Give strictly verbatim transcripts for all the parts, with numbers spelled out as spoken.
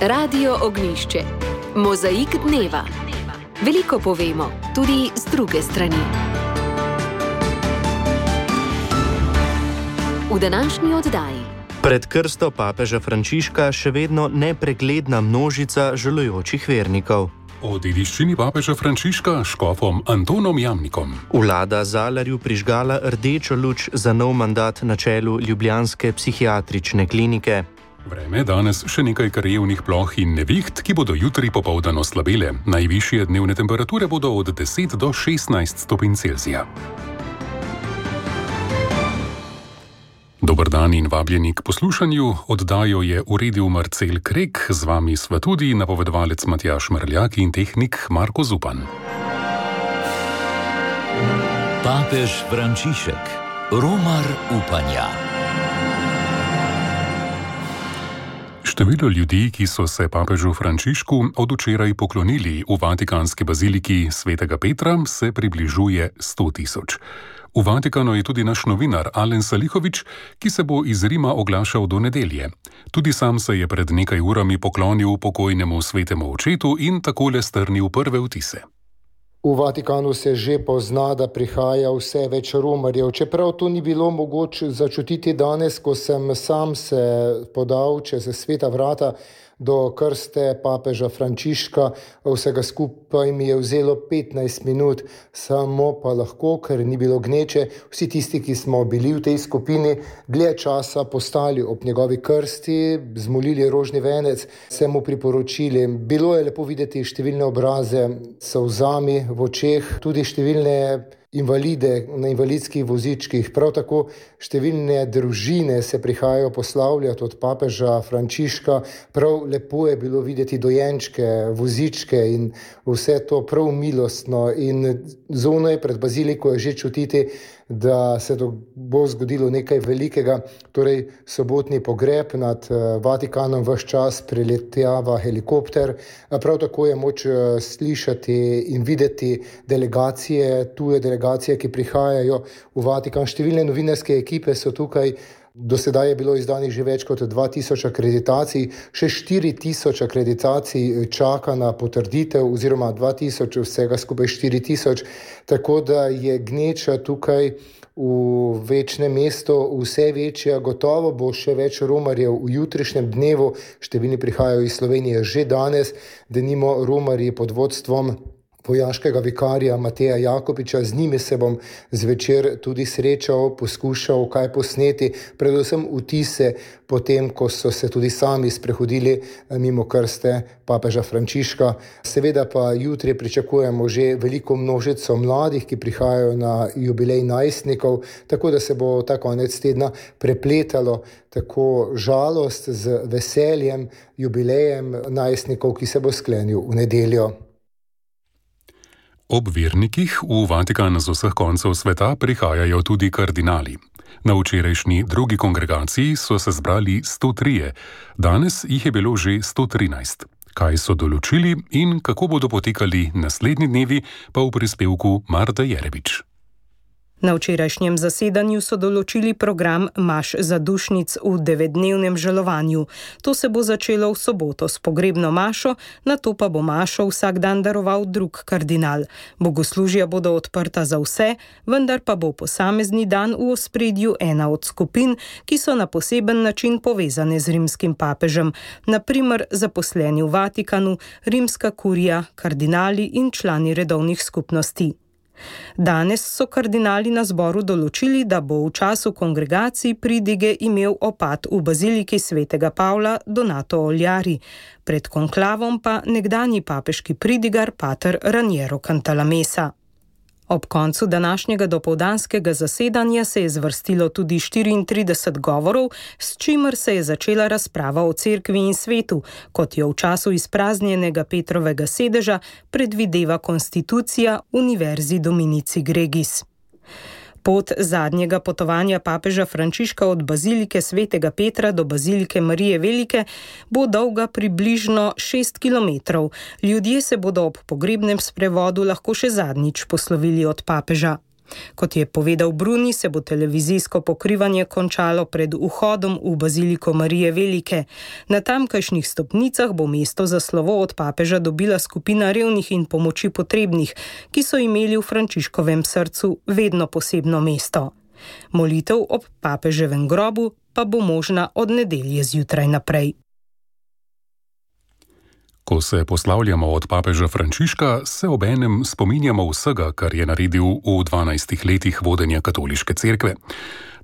Radio Ognjišče. Mozaik dneva. Veliko povemo, tudi z druge strani. V današnji oddaji. Pred krsto papeža Frančiška še vedno nepregledna množica žalujočih vernikov. O dediščini papeža Frančiška s škofom Antonom Jamnikom. Vlada Zalarju prižgala rdečo luč za nov mandat na čelu ljubljanske psihiatrične klinike. Vreme danes še nekaj krajevnih ploh in neviht, ki bodo jutri popoldan oslabele. Najvišje dnevne temperature bodo od deset do šestnajst stopinj Celzija. Dober dan in vabljeni k poslušanju. Oddajo je uredil Marcel Krek, z vami sva tudi napovedovalec Matjaž Mrljak in tehnik Marko Zupan. Papež Frančišek, romar upanja. Število ljudi, ki so se papežu Frančišku od včeraj poklonili v vatikanski baziliki svetega Petra, se približuje sto tisoč. V Vatikanu je tudi naš novinar Alen Salihovič, ki se bo iz Rima oglašal do nedelje. Tudi sam se je pred nekaj urami poklonil pokojnemu svetemu očetu in takole strnil prve vtise. V Vatikanu se že pozna, da prihaja vse več romarjev. Čeprav to ni bilo mogoče začutiti danes, ko sem sam se podal čez sveta vrata do krste papeža Frančiška, vsega skupaj mi je vzelo petnajst minut, samo pa lahko, ker ni bilo gneče, vsi tisti, ki smo bili v tej skupini, dlje časa postali ob njegovi krsti, zmolili rožni venec, se mu priporočili. Bilo je lepo videti številne obraze s solzami v očeh, tudi številne invalide na invalidskih vozičkih, prav tako številne družine se prihajajo poslavljati od papeža Frančiška. Prav lepo je bilo videti dojenčke, vozičke in vse to prav milostno. In zunaj pred baziliko je že čutiti, da se to bo zgodilo nekaj velikega, torej sobotni pogreb nad Vatikanom ves čas preletjava helikopter. Prav tako je moč slišati in videti delegacije, tuje delegacije, ki prihajajo v Vatikan. Številne novinarske ekipe so tukaj. Do sedaj je bilo izdanih že več kot dva tisoč akreditacij, še štiri tisoč akreditacij čaka na potrditev, oziroma dva tisoč, vsega skupaj štiri tisoč, tako da je gneča tukaj v večnem mestu vse večja. Gotovo bo še več romarjev v jutrišnjem dnevu, številni prihajajo iz Slovenije že danes, denimo romarji pod vodstvom vojaškega vikarja Mateja Jakopiča. Z njimi se bom zvečer tudi srečal, poskušal kaj posneti, predvsem vtise potem, ko so se tudi sami sprehodili mimo krste papeža Frančiška. Seveda pa jutri pričakujemo že veliko množico mladih, ki prihajajo na jubilej najstnikov, tako da se bo ta konec tedna prepletalo tako žalost z veseljem, jubilejem najstnikov, ki se bo sklenil v nedeljo. Ob vernikih v Vatikan z vseh koncev sveta prihajajo tudi kardinali. Na včerajšnji drugi kongregaciji so se zbrali sto trije, danes jih je bilo že sto trinajst. Kaj so določili in kako bodo potekali naslednji dnevi, pa v prispevku Marta Jerebič. Na včerajšnjem zasedanju so določili program maš zadušnic v devetdnevnem žalovanju. To se bo začelo v soboto s pogrebno mašo, nato pa bo mašo vsak dan daroval drug kardinal. Bogoslužja bodo odprta za vse, vendar pa bo posamezni dan v ospredju ena od skupin, ki so na poseben način povezane z rimskim papežem, na primer zaposleni v Vatikanu, rimska kurija, kardinali in člani redovnih skupnosti. Danes so kardinali na zboru določili, da bo v času kongregacij pridige imel opat v baziliki svetega Pavla Donato Oljari, pred konklavom pa nekdanji papeški pridigar pater Raniero Cantalamessa. Ob koncu današnjega dopoldanskega zasedanja se je zvrstilo tudi štiriintrideset govorov, s čimer se je začela razprava o cerkvi in svetu, kot jo v času izpraznjenega Petrovega sedeža predvideva konstitucija Univerzi Dominici Gregis. Pot zadnjega potovanja papeža Frančiška od bazilike svetega Petra do bazilike Marije Velike bo dolga približno šest kilometrov. Ljudje se bodo ob pogrebnem sprevodu lahko še zadnjič poslovili od papeža. Kot je povedal Bruni, se bo televizijsko pokrivanje končalo pred vhodom v baziliko Marije Velike. Na tamkajšnjih stopnicah bo mesto za slovo od papeža dobila skupina revnih in pomoči potrebnih, ki so imeli v Frančiškovem srcu vedno posebno mesto. Molitev ob papeževem grobu pa bo možna od nedelje zjutraj naprej. Ko se poslavljamo od papeža Frančiška, se obenem spominjamo vsega, kar je naredil v dvanajstih letih vodenja katoliške cerkve.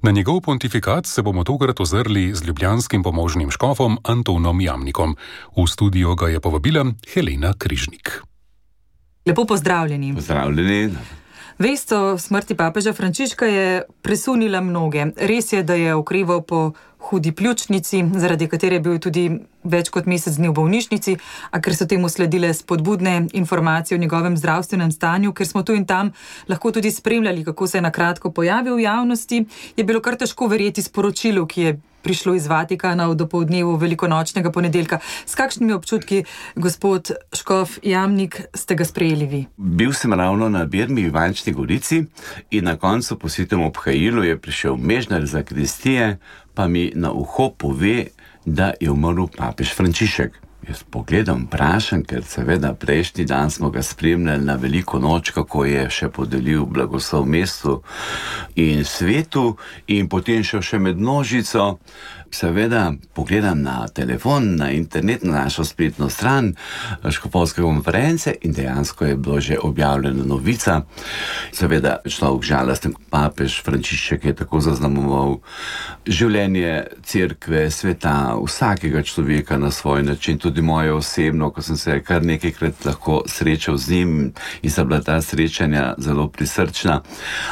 Na njegov pontifikat se bomo tokrat ozrli z ljubljanskim pomožnim škofom Antonom Jamnikom. V studio ga je povabila Helena Križnik. Lepo pozdravljeni. Pozdravljeni. Vest o smrti papeža Frančiška je presunila mnoge. Res je, da je okreval po hudi pljučnici, zaradi katere je bil tudi več kot mesec dni v bolnišnici, a ker so temu sledile spodbudne informacije o njegovem zdravstvenem stanju, ker smo tu in tam lahko tudi spremljali, kako se je na kratko pojavil v javnosti, je bilo kar težko verjeti sporočilu, ki je prišlo iz Vatikana v dopoldnevu velikonočnega ponedeljka. S kakšnimi občutki, gospod škof Jamnik, ste ga sprejeli vi? Bil sem ravno na Birmi v Ivančni Gorici in na koncu po svitem obhajilu je prišel mežnar zakristije, pa mi na uho pove, da je umrl papež Frančišek. Jaz pogledam, vprašam, ker seveda prejšnji dan smo ga spremljali na veliko noč, kako je še podelil blagoslov mestu in svetu in potem šel še med množico. Seveda pogledam na telefon, na internet, na našo spletno stran škofovske konference in dejansko je bilo že objavljena novica. Seveda človek žalosten, papež Frančišek je tako zaznamoval življenje cerkve, sveta, vsakega človeka na svoj način, tudi moje osebno, ko sem se kar nekajkrat lahko srečal z njim in so bila ta srečanja zelo prisrčna.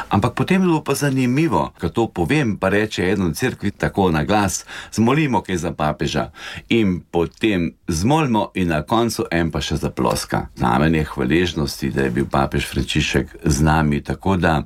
Ampak potem je bilo pa zanimivo, ko to povem, pa reče eno cerkvi tako na glas, zmolimo kaj za papeža in potem zmolimo in na koncu en pa še zaploska. Znamenje hvaležnosti, da je bil papež Frančišek z nami, tako da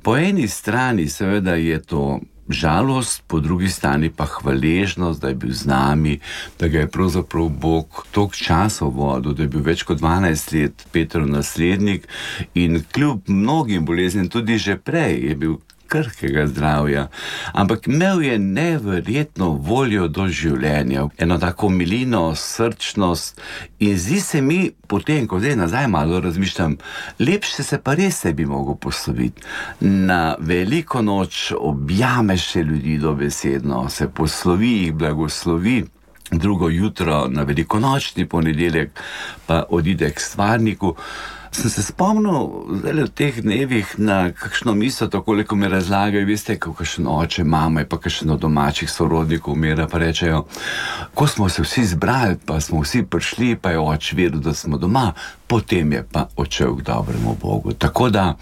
po eni strani seveda je to žalost, po drugi strani pa hvaležnost, da je bil z nami, da ga je pravzaprav Bog toliko časa vodil, da je bil več kot dvanajst let Petrov naslednik in kljub mnogim boleznim tudi že prej je bil krhkega zdravja, ampak imel je neverjetno voljo do življenja, eno tako milino, srčnost in zdi se mi, potem, ko zdaj nazaj malo razmišljam, lepše se pa res se bi mogel posloviti. Na veliko noč objameš še ljudi dobesedno, se poslovi jih, blagoslovi, drugo jutro na velikonočni ponedeljek pa odide k stvarniku. Sem se spomnil zdaj v teh dnevih na kakšno misel, takole, ko mi razlagajo, veste, ko kakšen oče, mama je pa kakšen od domačih sorodnikov umira, pa rečejo, ko smo se vsi zbrali, pa smo vsi prišli, pa je oč vedel, da smo doma, potem je pa odšel k dobremu Bogu. Tako da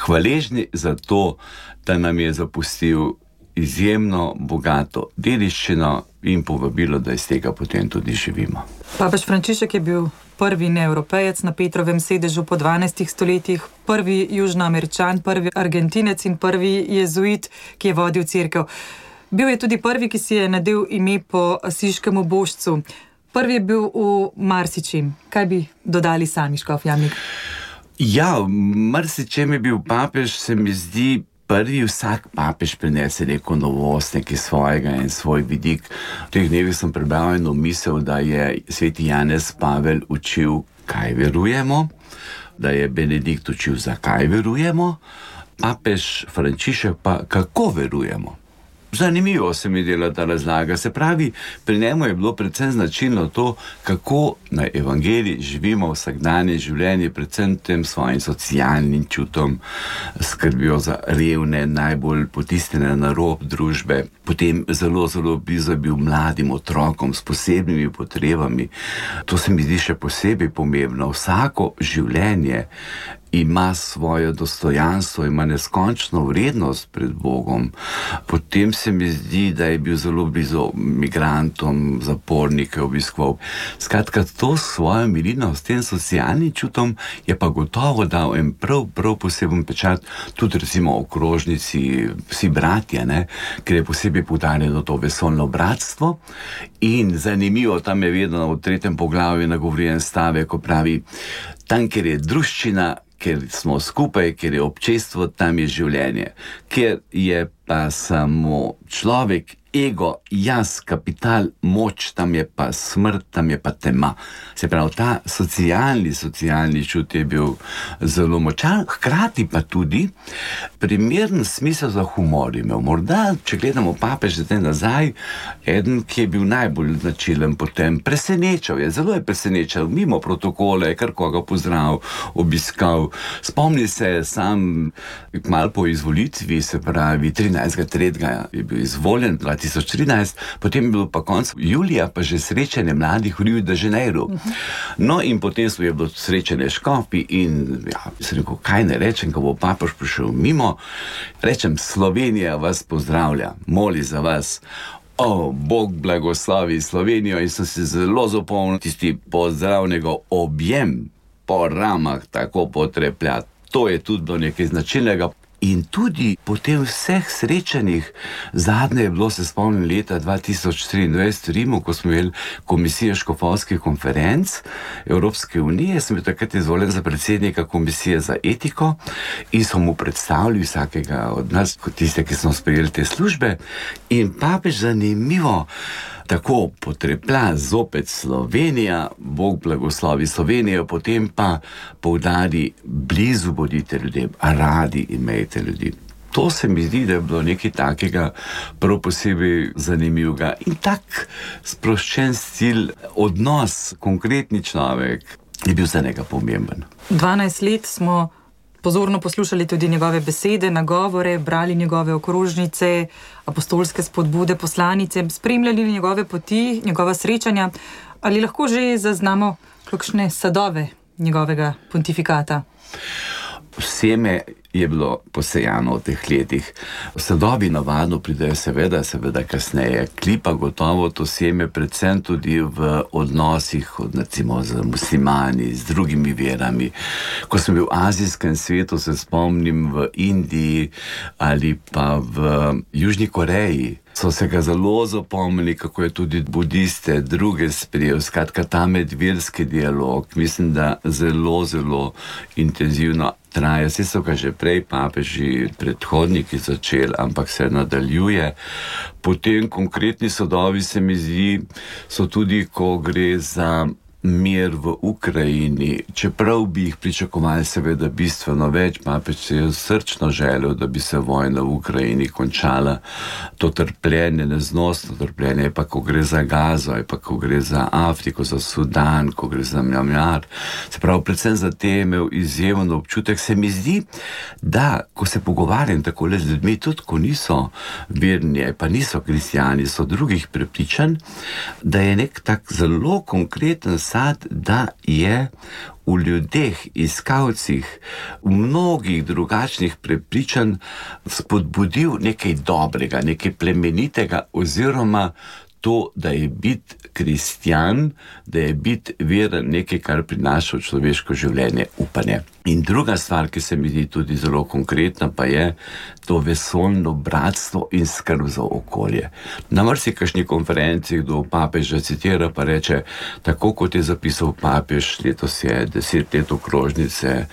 hvaležni za to, da nam je zapustil izjemno bogato dediščino in povabilo, da iz tega potem tudi živimo. Papež Frančišek je bil prvi neevropejec na Petrovem sedežu po dvanajstih stoletjih, prvi južnoameričan, prvi Argentinec in prvi jezuit, ki je vodil cerkev. Bil je tudi prvi, ki si je nadel ime po asiškemu božcu. Prvi je bil v marsičem. Kaj bi dodali sami, škof Jamnik? Ja, marsičem je bil papež, se mi zdi, prvi vsak papež prinese neko novost, nekaj svojega in svoj vidik. V teh dnevih sem prebral eno misel, da je sveti Janez Pavel učil, kaj verujemo, da je Benedikt učil, zakaj verujemo, papež Frančišek pa kako verujemo. Zanimivo se mi dela ta razlaga. Se pravi, pri njemu je bilo predvsem značilno to, kako na evangeliji živimo vsakdanje življenje, predvsem tem svojim socialnim čutom, skrbijo za revne, najbolj potisnjene na rob družbe, potem zelo, zelo blizu je bil mladim otrokom s posebnimi potrebami. To se mi zdi še posebej pomembno. Vsako življenje ima svoje dostojanstvo, ima neskončno vrednost pred Bogom. Potem se mi zdi, da je bil zelo blizu migrantom, zapornike obiskoval. Skratka, to svojo milino s tem socialnim čutom je pa gotovo dal en prav, prav poseben pečat, tudi recimo okrožnici, vsi bratje, ne? Ker je posebej poudarjeno to vesolno bratstvo in zanimivo, tam je vedno v tretjem poglavju nagovorjen stavek, ko pravi, tam, kjer je druščina, ker smo skupaj, ker je občestvo, tam je življenje. Ker je pa samo človek, ego, jaz, kapital, moč, tam je pa smrt, tam je pa tema. Se pravi, ta socialni, socialni čut je bil zelo močan, hkrati pa tudi primeren smisel za humor imel. Morda, če gledamo papež zdaj nazaj, eden, ki je bil najbolj značilen potem, presenečal je, zelo je presenečal, mimo protokole, kar koga pozdravil, obiskal. Spomni se sam malo po izvolitvi, se pravi, trinajstega tretjega je bil izvoljen, dva tisoč trinajst, potem je bilo pa konc julija pa že srečanje mladih v Rio de Janeiro. No in potem je bilo srečanje škofi in ja, sem rekel, kaj ne rečem, ko bo papež prišel mimo, rečem, Slovenija vas pozdravlja, moli za vas. O, Bog blagoslovi Slovenijo, in sem se zelo zapomnil tisti pozdravnega objem po ramah, tako potreplja. To je tudi bilo nekaj značilnega. In tudi po tem vseh srečanjih, zadnje je bilo, se spomnim, leta dva tisoč triindvajset v Rimu, ko smo imeli komisijo škofovskih konferenc Evropske unije, sem bil takrat izvoljen za predsednika komisije za etiko in so mu predstavili vsakega od nas, kot tiste, ki smo sprejeli te službe, in papež zanimivo tako potreplja zopet Slovenija, Bog blagoslovi Slovenijo, potem pa poudari, blizu bodite ljudem, radi imejte ljudi. To se mi zdi, da je bilo nekaj takega prav posebej zanimivega. In tak sproščen stil, odnos, konkretni človek je bil za njega pomemben. dvanajst let smo pozorno poslušali tudi njegove besede, nagovore, brali njegove okrožnice, apostolske spodbude, poslanice, spremljali njegove poti, njegova srečanja. Ali lahko že zaznamo kakšne sadove njegovega pontifikata? Seme je bilo posejano v teh letih. Sadovi navadno pridejo seveda, seveda kasneje. Klipa gotovo to seme, predvsem tudi v odnosih, recimo z muslimani, z drugimi verami. Ko sem bil v azijskem svetu, se spomnim v Indiji ali pa v Južni Koreji, so se ga zelo zapomnili, kako je tudi budiste, druge sprejel. Skratka, ta medverski dialog, mislim, da zelo, zelo intenzivno traja. Vse so ga že prej papeži, predhodniki začeli, ampak se nadaljuje. Potem konkretni sadovi, se mi zdi, so tudi, ko gre za mir v Ukrajini, čeprav bi jih pričakovali seveda bistveno več. Papež se je srčno želel, da bi se vojna v Ukrajini končala. To trpljenje, neznosno trpljenje, pa ko gre za Gazo, pa ko gre za Afriko, za Sudan, ko gre za Mjanmar, se pravi, predvsem za te je imel izjemen občutek. Se mi zdi, da ko se pogovarjam tako le z ljudmi, tudi ko niso verni, pa niso kristjani, so drugih prepričanj, da je nek tak zelo konkreten sad, da je v ljudeh, iskalcih, v mnogih drugačnih prepričanj spodbudil nekaj dobrega, nekaj plemenitega, oziroma to, da je biti kristjan, da je biti veren nekaj, kar prinaša v človeško življenje upanje. In druga stvar, ki se mi zdi tudi zelo konkretna, pa je to vesoljno bratstvo in skrb za okolje. Na marsikakšni konferenci kdo papeža citira pa reče, tako kot je zapisal papež, letos je deset let okrožnice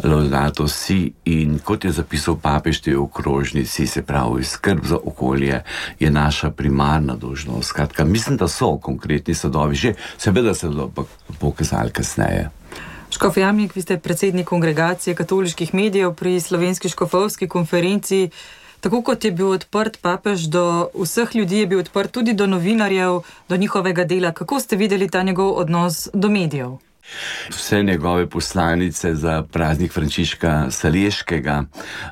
Laudato Si, in kot je zapisal papež te okrožnici, se pravi, skrb za okolje je naša primarna dolžnost. Skratka, mislim, da so konkretni sadovi že, seveda se bodo pokazali kasneje. Škof Jamnik, vi ste predsednik kongregacije katoliških medijev pri Slovenski škofovski konferenci. Tako kot je bil odprt papež do vseh ljudi, je bil odprt tudi do novinarjev, do njihovega dela. Kako ste videli ta njegov odnos do medijev? Vse njegove poslanice za praznik Frančiška Saleškega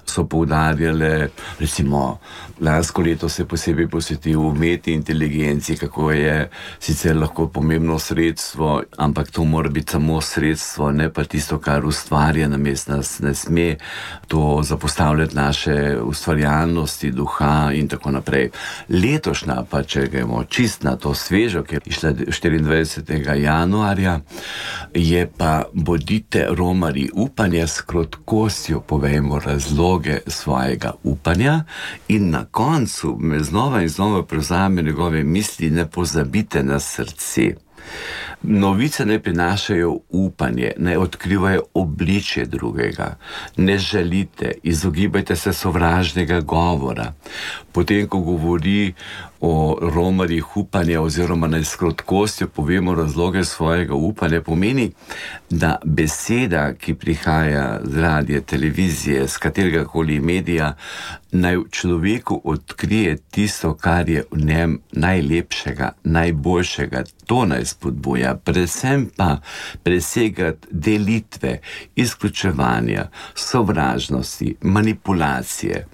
so poudarjale, recimo, lansko leto se posebej posvetil umetni inteligenci, kako je sicer lahko pomembno sredstvo, ampak to mora biti samo sredstvo, ne pa tisto, kar ustvarja namesto nas. Ne sme to zapostavljati naše ustvarjalnosti, duha in tako naprej. Letošnja pa, če gremo čist na to svežo, ki je išla štiriindvajsetega januarja, je pa bodite romarji upanja, s krotkostjo povejmo razloge svojega upanja, in na koncu me znova in znova prevzame njegove misli, ne pozabite na srce. Novice ne prinašajo upanje, ne odkrivajo obličje drugega. Ne žalite, izogibajte se sovražnega govora. Potem, ko govori o romarjih upanja oziroma naj s krotkostjo povemo razloge svojega upanja, pomeni, da beseda, ki prihaja z radija, televizije, z katerega koli medija, naj človeku odkrije tisto, kar je v njem najlepšega, najboljšega. To naj spodbuja, predvsem pa presegati delitve, izključevanja, sovražnosti, manipulacije.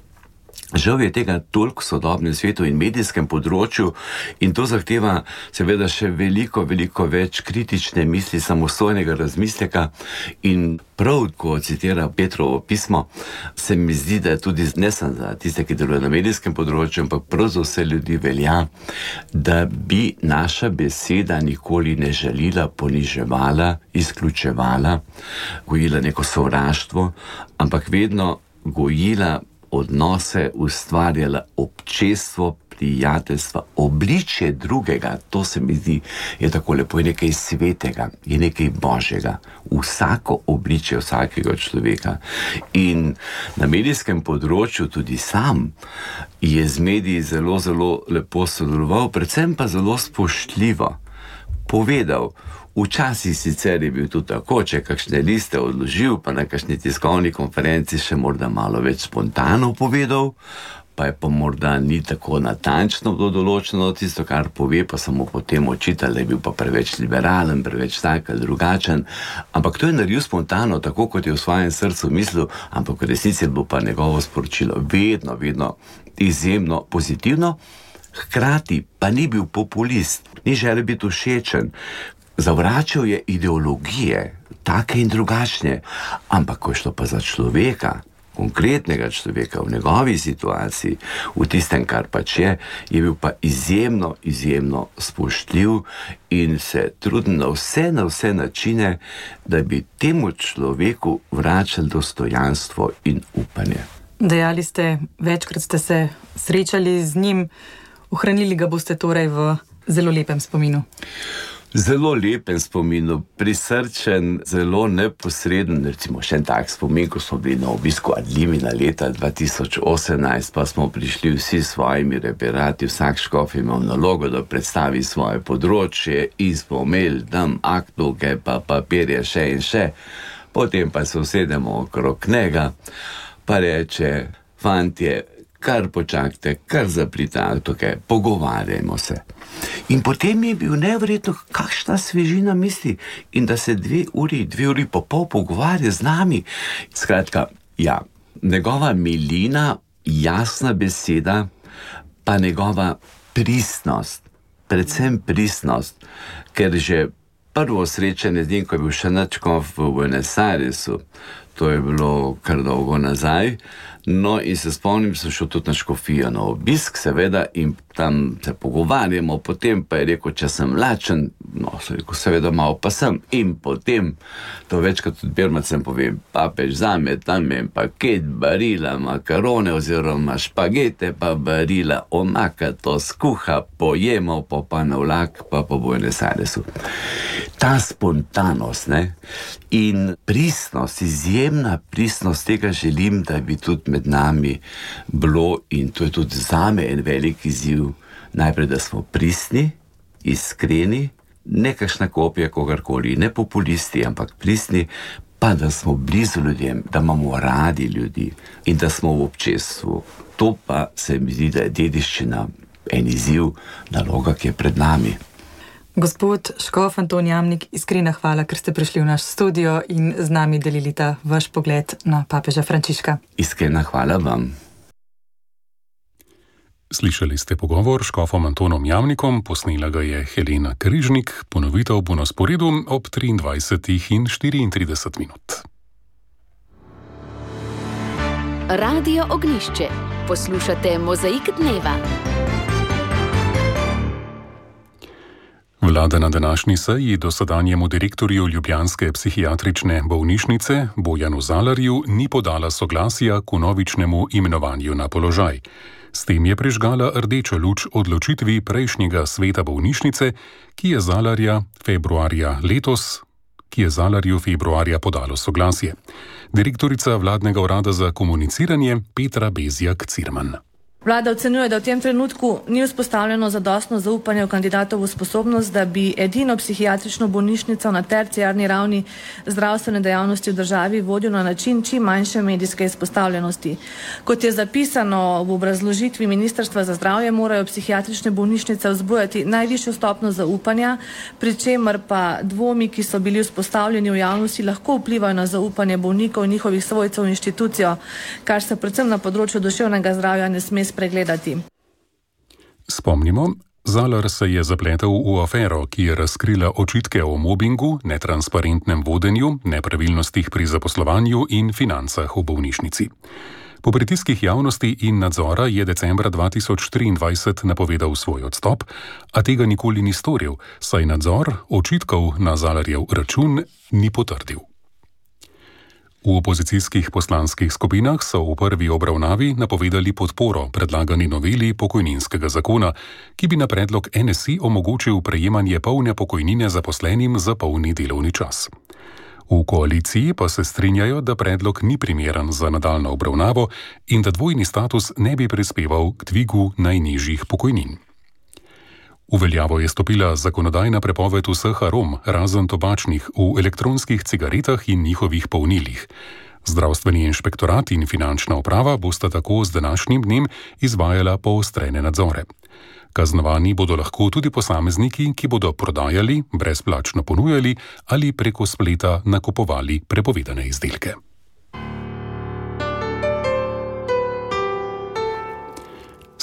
Žal je tega toliko v sodobnem svetu in medijskem področju in to zahteva seveda še veliko, veliko več kritične misli, samostojnega razmisleka in prav, ko citira Petrovo pismo, se mi zdi, da je tudi ne samo za tiste, ki delujejo na medijskem področju, ampak prav za vse ljudi velja, da bi naša beseda nikoli ne žalila, poniževala, izključevala, gojila neko sovraštvo, ampak vedno gojila odnose, ustvarjala občestvo, prijateljstva, obličje drugega. To se mi zdi, je tako lepo, je nekaj svetega, je nekaj božjega. Vsako obličje vsakega človeka. In na medijskem področju tudi sam je z mediji zelo, zelo lepo sodeloval, predvsem pa zelo spoštljivo povedal. Včasih sicer je bil tudi tako, če kakšne liste odložil, pa na kakšni tiskovni konferenci še morda malo več spontano povedal, pa je pa morda ni tako natančno bilo določeno tisto, kar pove, pa samo potem očital, da je bil pa preveč liberalen, preveč tak ali drugačen. Ampak to je naredil spontano, tako kot je v svojem srcu mislil, ampak v resnici bo pa njegovo sporočilo vedno, vedno izjemno pozitivno. Hkrati pa ni bil populist, ni želel biti všečen. Zavračal je ideologije, take in drugačne, ampak ko je šlo pa za človeka, konkretnega človeka v njegovi situaciji, v tistem, kar pač je, je bil pa izjemno, izjemno spoštljiv in se trudil na vse, na vse načine, da bi temu človeku vračal dostojanstvo in upanje. Dejali ste, večkrat ste se srečali z njim, ohranili ga boste torej v zelo lepem spominu. Zelo lepem spominu, prisrčen, zelo neposreden, recimo še en tak spomin, ko smo bili na obisku Adlimina leta dva tisoč osemnajst, pa smo prišli vsi s svojimi referati, vsak škof imel nalogo, da predstavi svoje področje in smo imeli tam aktovke, pa papirje še in še. Potem pa se usedemo okrog njega, pa reče, fantje, kar počakajte, kar zaprite aktovke, pogovarjajmo se. In potem je bil neverjetno, kakšna svežina misli in da se dve uri, dve uri pa pol pogovarja z nami. Skratka, ja, njegova milina, jasna beseda, pa njegova pristnost, predvsem pristnost, ker že prvo srečanje z njim, ko je bil še načkov v Buenos Airesu, to je bilo kar dolgo nazaj, no in se spomnim, sem šel tudi na škofijo na obisk, seveda, in tam se pogovarjamo, potem pa je rekel, če sem lačen, no, so rekel, seveda malo pa sem, in potem, to večkrat tudi Birmacem povem, papež zame, tam je paket barila makarone oziroma špagete, pa barila omaka, to skuha, pojemo, pa pa na vlak, pa po Buenos Airesu. Ta spontanost, ne, in pristnost, izjemna pristnost, tega želim, da bi tudi med nami bilo, in to je tudi zame en velik izziv, najprej, da smo pristni, iskreni, ne kakšna kopija kogarkoli, ne populisti, ampak pristni, pa da smo blizu ljudem, da imamo radi ljudi in da smo v občestvu. To pa se mi zdi, da je dediščina, en izziv, naloga, ki je pred nami. Gospod škof Anton Jamnik, iskrena hvala, ker ste prišli v naš studio in z nami delili ta vaš pogled na papeža Frančiška. Iskrena hvala vam. Slišali ste pogovor s škofom Antonom Jamnikom, posnela ga je Helena Križnik, ponovitev bo na sporedu ob triindvajsetih in štiriintrideset minut. Radio Ognjišče. Poslušate Mozaik dneva. Vlada na današnji seji dosedanjemu direktorju ljubljanske psihiatrične bolnišnice Bojanu Zalarju ni podala soglasja k vnovičnemu imenovanju na položaj. S tem je prižgala rdečo luč odločitvi prejšnjega sveta bolnišnice, ki je Zalarja februarja letos, ki je Zalarju februarja podalo soglasje. Direktorica vladnega urada za komuniciranje Petra Bezjak-Cirman. Vlada ocenjuje, da v tem trenutku ni vzpostavljeno zadostno zaupanje v kandidatovo sposobnost, da bi edino psihiatrično bolnišnico na terciarni ravni zdravstvene dejavnosti v državi vodil na način čim manjše medijske izpostavljenosti. Kot je zapisano v obrazložitvi Ministrstva za zdravje, morajo psihiatrične bolnišnice vzbujati najvišjo stopnjo zaupanja, pri čemer pa dvomi, ki so bili vzpostavljeni v javnosti, lahko vplivajo na zaupanje bolnikov in njihovih svojcev v inštitucijo, kar se predvsem na področju duševnega zdravja ne sme pregledati. Spomnimo, Zalar se je zapletel v afero, ki je razkrila očitke o mobingu, netransparentnem vodenju, nepravilnostih pri zaposlovanju in financah v bolnišnici. Po pritiskih javnosti in nadzora je decembra dva tisoč triindvajset napovedal svoj odstop, a tega nikoli ni storil, saj nadzor očitkov na Zalarjev račun ni potrdil. V opozicijskih poslanskih skupinah so v prvi obravnavi napovedali podporo predlagani noveli pokojninskega zakona, ki bi na predlog N S I omogočil prejemanje polne pokojnine zaposlenim za polni delovni čas. V koaliciji pa se strinjajo, da predlog ni primeren za nadaljnjo obravnavo in da dvojni status ne bi prispeval k dvigu najnižjih pokojnin. V veljavo je stopila zakonodajna prepoved vseh arom, razen tobačnih, v elektronskih cigaretah in njihovih polnilih. Zdravstveni inšpektorat in finančna uprava bosta tako z današnjim dnem izvajala poostrene nadzore. Kaznovani bodo lahko tudi posamezniki, ki bodo prodajali, brezplačno ponujali ali preko spleta nakupovali prepovedane izdelke.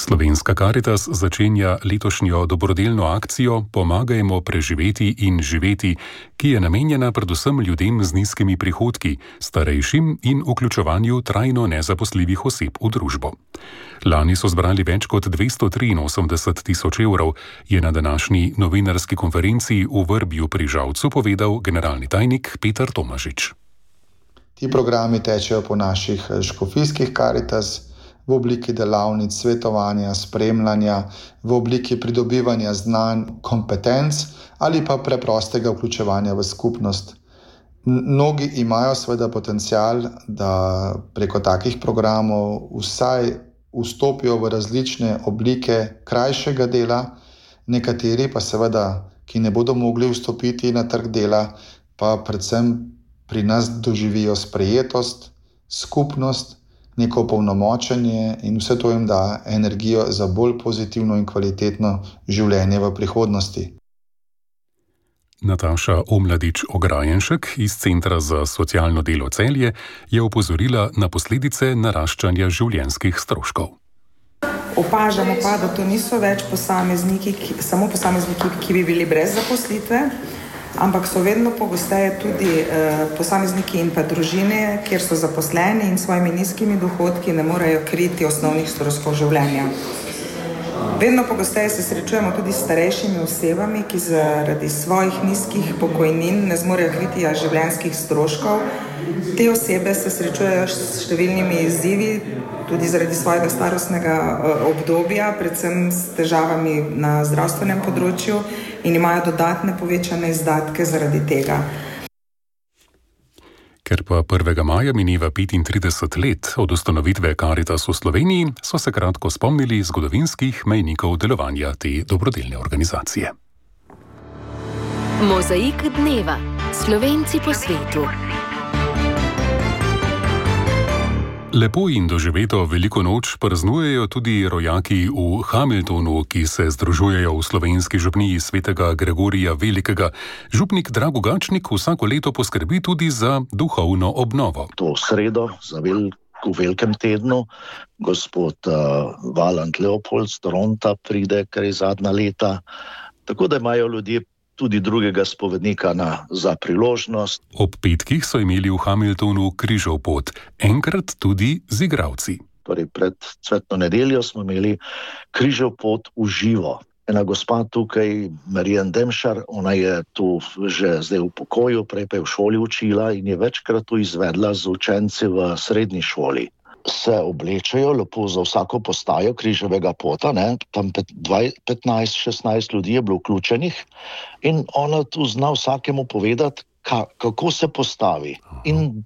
Slovenska Karitas začenja letošnjo dobrodelno akcijo Pomagajmo preživeti in živeti, ki je namenjena predvsem ljudem z nizkimi prihodki, starejšim in vključevanju trajno nezaposljivih oseb v družbo. Lani so zbrali več kot dvesto triinosemdeset tisoč evrov, je na današnji novinarski konferenci v Vrbju pri Žalcu povedal generalni tajnik Peter Tomažič. Ti programi tečejo po naših škofijskih Karitas, v obliki delavnic, svetovanja, spremljanja, v obliki pridobivanja znanj, kompetenc ali pa preprostega vključevanja v skupnost. Mnogi imajo seveda potencial, da preko takih programov vsaj vstopijo v različne oblike krajšega dela, nekateri pa seveda, ki ne bodo mogli vstopiti na trg dela, pa predvsem pri nas doživijo sprejetost, skupnost, neko polnomočenje in vse to jim da energijo za bolj pozitivno in kvalitetno življenje v prihodnosti. Nataša Omladič-Ograjenšek iz Centra za socialno delo Celje je opozorila na posledice naraščanja življenjskih stroškov. Opažamo pa, da to niso več posamezniki, ki, samo posamezniki, ki bi bili brez zaposlitve, ampak so vedno pogosteje tudi eh, posamezniki in pa družine, kjer so zaposleni in s svojimi nizkimi dohodki ne morejo kriti osnovnih stroškov življenja. Vedno pogosteje se srečujemo tudi s starejšimi osebami, ki zaradi svojih nizkih pokojnin ne zmorejo kriti življenjskih stroškov. Te osebe se srečujejo s številnimi izzivi, tudi zaradi svojega starostnega obdobja, predvsem s težavami na zdravstvenem področju in imajo dodatne povečane izdatke zaradi tega. Ker pa prvega maja mineva petintrideset let od ustanovitve Karitas v Sloveniji, so se kratko spomnili zgodovinskih mejnikov delovanja te dobrodelne organizacije. Mozaik dneva. Slovenci po svetu. Lepo in doživeto veliko noč praznujejo tudi rojaki v Hamiltonu, ki se združujejo v slovenski župniji svetega Gregorija Velikega. Župnik Drago Gačnik vsako leto poskrbi tudi za duhovno obnovo. To sredo, za velik, v velikem tednu, gospod uh, Valant Leopold z Toronta pride, kar je zadnja leta, tako da imajo ljudje tudi drugega spovednika na, za priložnost. Ob petkih so imeli v Hamiltonu križov pot, enkrat tudi z igralci. Torej pred cvetno nedeljo smo imeli križov pot v živo. ena gospa tukaj, Marijan Demšar, ona je tu že zdaj v pokoju, prej pa je v šoli učila in je večkrat tu izvedla z učenci v srednji šoli. Se oblečejo lepo za vsako postajo križevega pota, ne? Tam petnajst šestnajst ljudi je bilo vključenih in ona tu zna vsakemu povedati, ka, kako se postavi in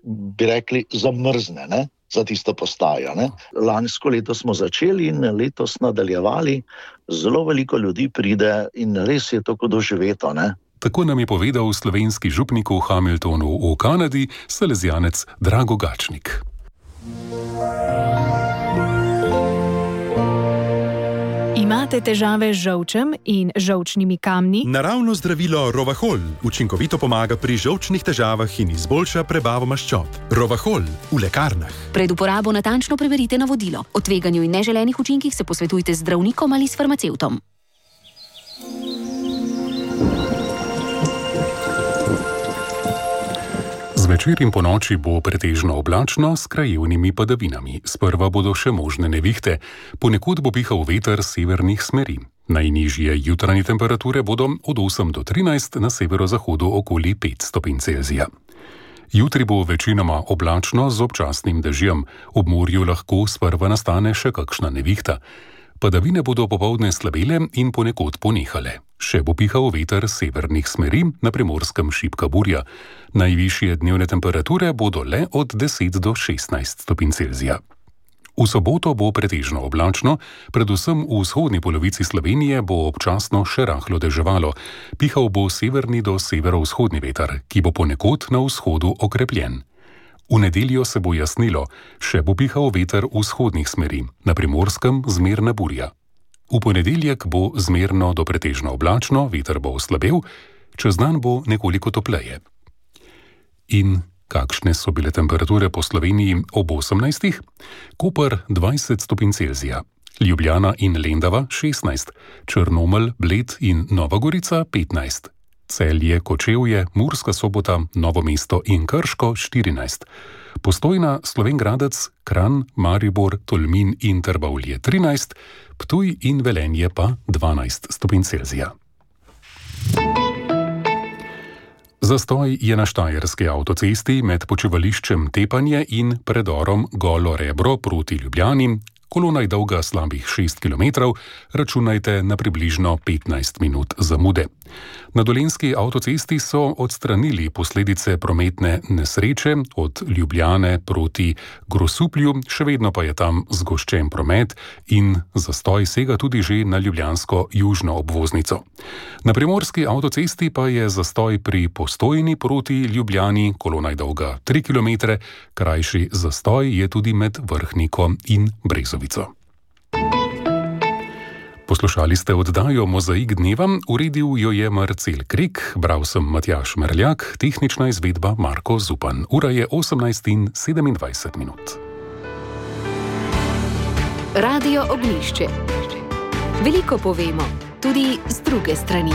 bi rekli zamrzne, ne? Za tisto postajo. Ne? Lansko leto smo začeli in letos nadaljevali, zelo veliko ljudi pride in res je to kot doživeto, ne? Tako nam je povedal slovenski župnik v Hamiltonu v Kanadi, salezijanec Drago Gačnik. Imate težave z žolčem in žolčnimi kamni? Naravno zdravilo Rovahol učinkovito pomaga pri žolčnih težavah in izboljša prebavo maščob. Rovahol v lekarnah. Pred uporabo natančno preverite navodilo. O tveganju in neželenih učinkih se posvetujte z zdravnikom ali s farmacevtom. Zvečer in ponoči bo pretežno oblačno s krajevnimi padavinami. Sprva bodo še možne nevihte, ponekod bo pihal veter severnih smeri. Najnižje jutranje temperature bodo od osem do trinajst, na severozahodu okoli pet stopinj Celzija. Jutri bo večinoma oblačno z občasnim dežjem, ob morju lahko sprva nastane še kakšna nevihta. Padavine bodo popoldne slabele in ponekod ponehale. Še bo pihal veter severnih smeri, na Primorskem šibka burja. Najvišje dnevne temperature bodo le od deset do šestnajst stopinj Celzija. V soboto bo pretežno oblačno, predvsem v vzhodni polovici Slovenije bo občasno še rahlo deževalo. Pihal bo severni do severovzhodni veter, ki bo ponekod na vzhodu okrepljen. V nedeljo se bo jasnilo, še bo pihal veter vzhodnih smeri, na Primorskem zmerna burja. V ponedeljek bo zmerno do pretežno oblačno, veter bo oslabel, čez dan bo nekoliko topleje. In kakšne so bile temperature po Sloveniji ob osemnajstih? Koper dvajset stopinj Celzija, Ljubljana in Lendava šestnajst, Črnomelj, Bled in Nova Gorica petnajst. Celje, Kočevje, Murska Sobota, Novo mesto in Krško štirinajst. Postojna, Slovenj Gradec, Kranj, Maribor, Tolmin in Trbovlje trinajst, Ptuj in Velenje pa dvanajst stopinj Celzija. Zastoj je na štajerski avtocesti med počivališčem Tepanje in predorom Golo Rebro proti Ljubljani. Kolona je dolga slabih šest kilometrov, računajte na približno petnajst minut zamude. Na dolenjski avtocesti so odstranili posledice prometne nesreče od Ljubljane proti Grosuplju, še vedno pa je tam zgoščen promet in zastoj sega tudi že na ljubljansko južno obvoznico. Na primorski avtocesti pa je zastoj pri Postojni proti Ljubljani, kolona je dolga tri kilometre, krajši zastoj je tudi med Vrhniko in Brezovico. Poslušali ste oddajo Mozaik dneva, uredil jo je Marcel Krek, bral sem Matjaž Merljak, tehnična izvedba Marko Zupan. Ura je osemnajst in sedemindvajset minut. Radio Ognjišče. Veliko povemo, tudi z druge strani.